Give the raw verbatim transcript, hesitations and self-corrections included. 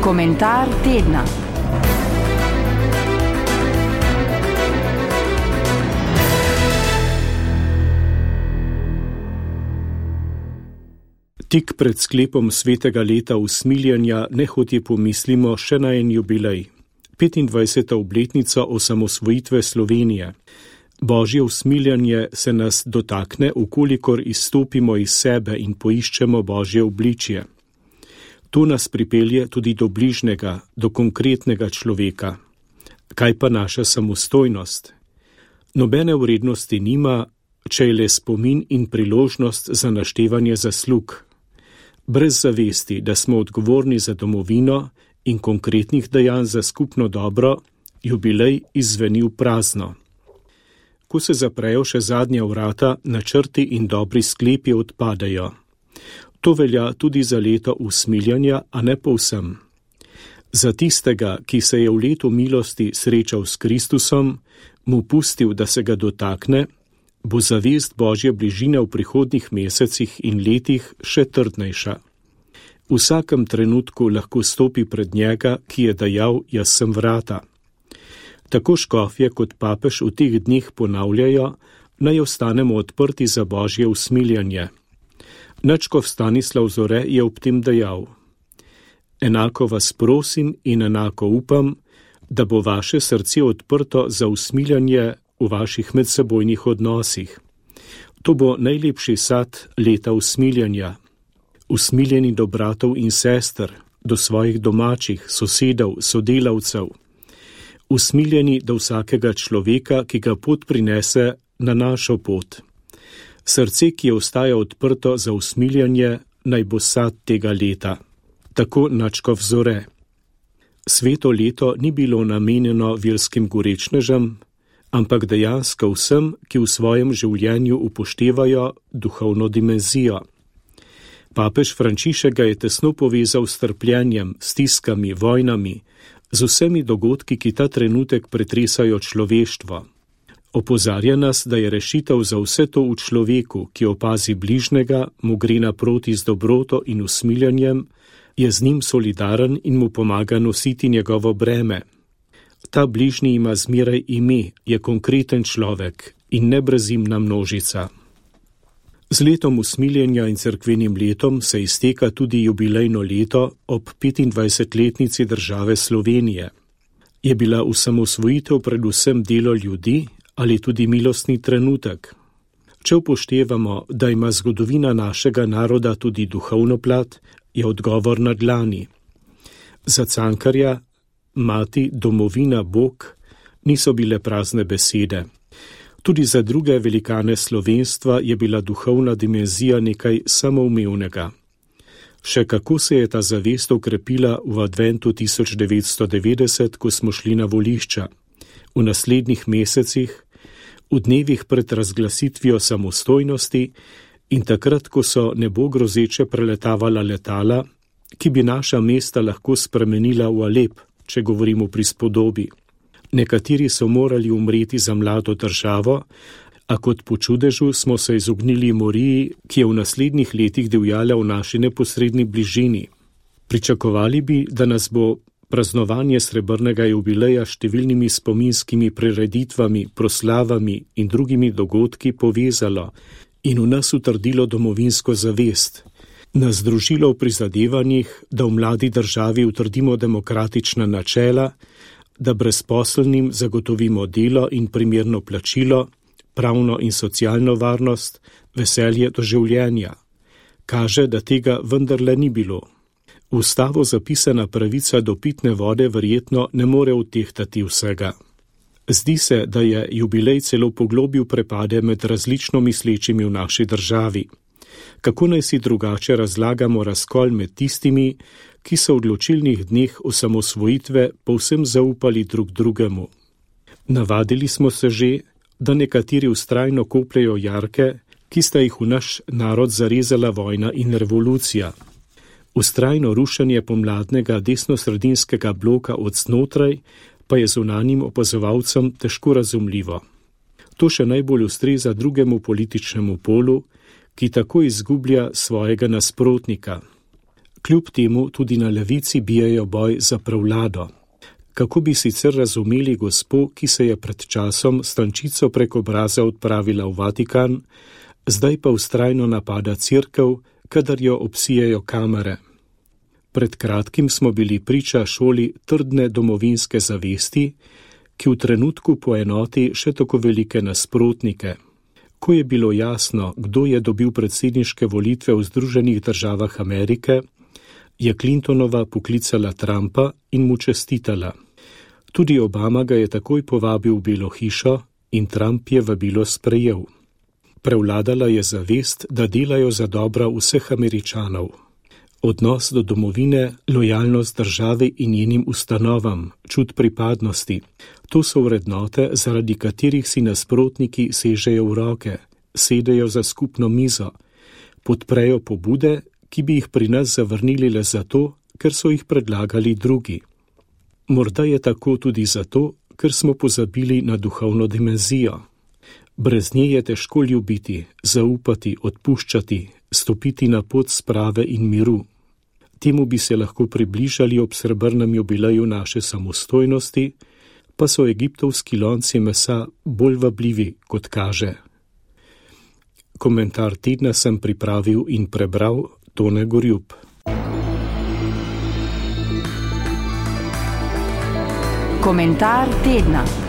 Komentar tedna. Tik pred sklepom svetega leta usmiljenja nehote pomislimo še na en jubilej, petindvajseta obletnica osamosvojitve Slovenije. Božje usmiljanje se nas dotakne, ukolikor izstopimo iz sebe in poiščemo Božje obličje. To nas pripelje tudi do bližnjega, do konkretnega človeka. Kaj pa naša samostojnost? Nobene vrednosti nima, če je le spomin in priložnost za naštevanje zaslug. Brez zavesti, da smo odgovorni za domovino in konkretnih dejanj za skupno dobro, jubilej izzveni v prazno. Ko se zaprejo še zadnja vrata, načrti in dobri sklepi odpadajo. To velja tudi za leto usmiljanja, a ne povsem. Za tistega, ki se je v letu milosti srečal s Kristusom, mu pustil, da se ga dotakne, bo zavest Božje bližine v prihodnjih mesecih in letih še trdnejša. V vsakem trenutku lahko stopi pred njega, ki je dejal, jaz sem vrata. Tako škofje kot papež v teh dneh ponavljajo, naj ostanemo odprti za Božje usmiljanje. Nadškof Stanislav Zore je ob tem dejal: enako vas prosim in enako upam, da bo vaše srce odprto za usmiljanje v vaših medsebojnih odnosih. To bo najlepši sad leta usmiljanja. Usmiljeni do bratov in sester, do svojih domačih, sosedov, sodelavcev. Usmiljeni do vsakega človeka, ki ga pot prinese na našo pot. Srce, ki je ostaja odprto za usmiljanje, naj bo sad tega leta. Tako nadškof Zore. Sveto leto ni bilo namenjeno verskim gorečnežem, ampak dejansko vsem, ki v svojem življenju upoštevajo duhovno dimenzijo. Papež Frančišek ga je tesno povezal s trpljenjem, stiskami, vojnami, z vsemi dogodki, ki ta trenutek pretresajo človeštvo. Opozarja nas, da je rešitev za vse to v človeku, ki opazi bližnjega, mu gre naproti z dobroto in usmiljanjem, je z njim solidaren in mu pomaga nositi njegovo breme. Ta bližnji ima zmeraj ime, je konkreten človek in nebrezimna množica. Z letom usmiljenja in cerkvenim letom se izteka tudi jubilejno leto ob petindvajsetletnici države Slovenije. Je bila osamosvojitev predvsem delo ljudi ali tudi milostni trenutek? Če upoštevamo, da ima zgodovina našega naroda tudi duhovno plat, je odgovor na dlani. Za Cankarja, mati, domovina, Bog niso bile prazne besede. Tudi za druge velikane slovenstva je bila duhovna dimenzija nekaj samoumevnega. Še kako se je ta zavest okrepila v adventu tisoč devetsto devetdeset, ko smo šli na volišča. V naslednjih mesecih, v dnevih pred razglasitvijo samostojnosti in takrat, ko so nebo grozeče preletavala letala, ki bi naša mesta lahko spremenila v Alep, če govorimo pri spodobi. Nekateri so morali umreti za mlado državo, a kot po čudežu smo se izognili moriji, ki je v naslednjih letih divjala v naši neposredni bližini. Pričakovali bi, da nas bo praznovanje srebrnega jubileja številnimi spominskimi prireditvami, proslavami in drugimi dogodki povezalo in v nas utrdilo domovinsko zavest, nas združilo v prizadevanjih, da v mladi državi utrdimo demokratična načela, da brezposelnim zagotovimo delo in primerno plačilo, pravno in socialno varnost, veselje do življenja. Kaže, da tega vendarle ni bilo. V ustavo zapisana pravica do pitne vode verjetno ne more utehtati vsega. Zdi se, da je jubilej celo poglobil prepade med različno mislečimi v naši državi. Kako naj si drugače razlagamo razkol med tistimi, ki so v odločilnih dneh osamosvojitve povsem zaupali drug drugemu? Navadili smo se že, da nekateri vztrajno kopljejo jarke, ki sta jih v naš narod zarezala vojna in revolucija. Vztrajno rušenje pomladnega desnosredinskega bloka od znotraj pa je zunanjim opazovalcem težko razumljivo. To še najbolj ustreza drugemu političnemu polu, ki tako izgublja svojega nasprotnika. Kljub temu tudi na levici bijajo boj za prevlado. Kako bi sicer razumeli gospo, ki se je pred časom s tančico prek obraza odpravila v Vatikan, zdaj pa vztrajno napada cerkev, kadar jo obsijajo kamere. Pred kratkim smo bili priča šoli trdne domovinske zavesti, ki v trenutku poenoti še tako velike nasprotnike. Ko je bilo jasno, kdo je dobil predsedniške volitve v Združenih državah Amerike, je Clintonova poklicala Trumpa in mu čestitala. Tudi Obama ga je takoj povabil v Belo hišo in Trump je vabilo sprejel. Prevladala je zavest, da delajo za dobro vseh Američanov. Odnos do domovine, lojalnost državi in njenim ustanovam, čut pripadnosti, to so vrednote, zaradi katerih si nasprotniki sežejo v roke, sedejo za skupno mizo, podprejo pobude, ki bi jih pri nas zavrnili le zato, ker so jih predlagali drugi. Morda je tako tudi zato, ker smo pozabili na duhovno dimenzijo. Brez nje je težko ljubiti, zaupati, odpuščati, stopiti na pot sprave in miru. Temu bi se lahko približali ob srebrnem jubileju naše samostojnosti, pa so egiptovski lonci mesa bolj vabljivi, kot kaže. Komentar tedna sem pripravil in prebral Tone Gorjup. Komentar tedna.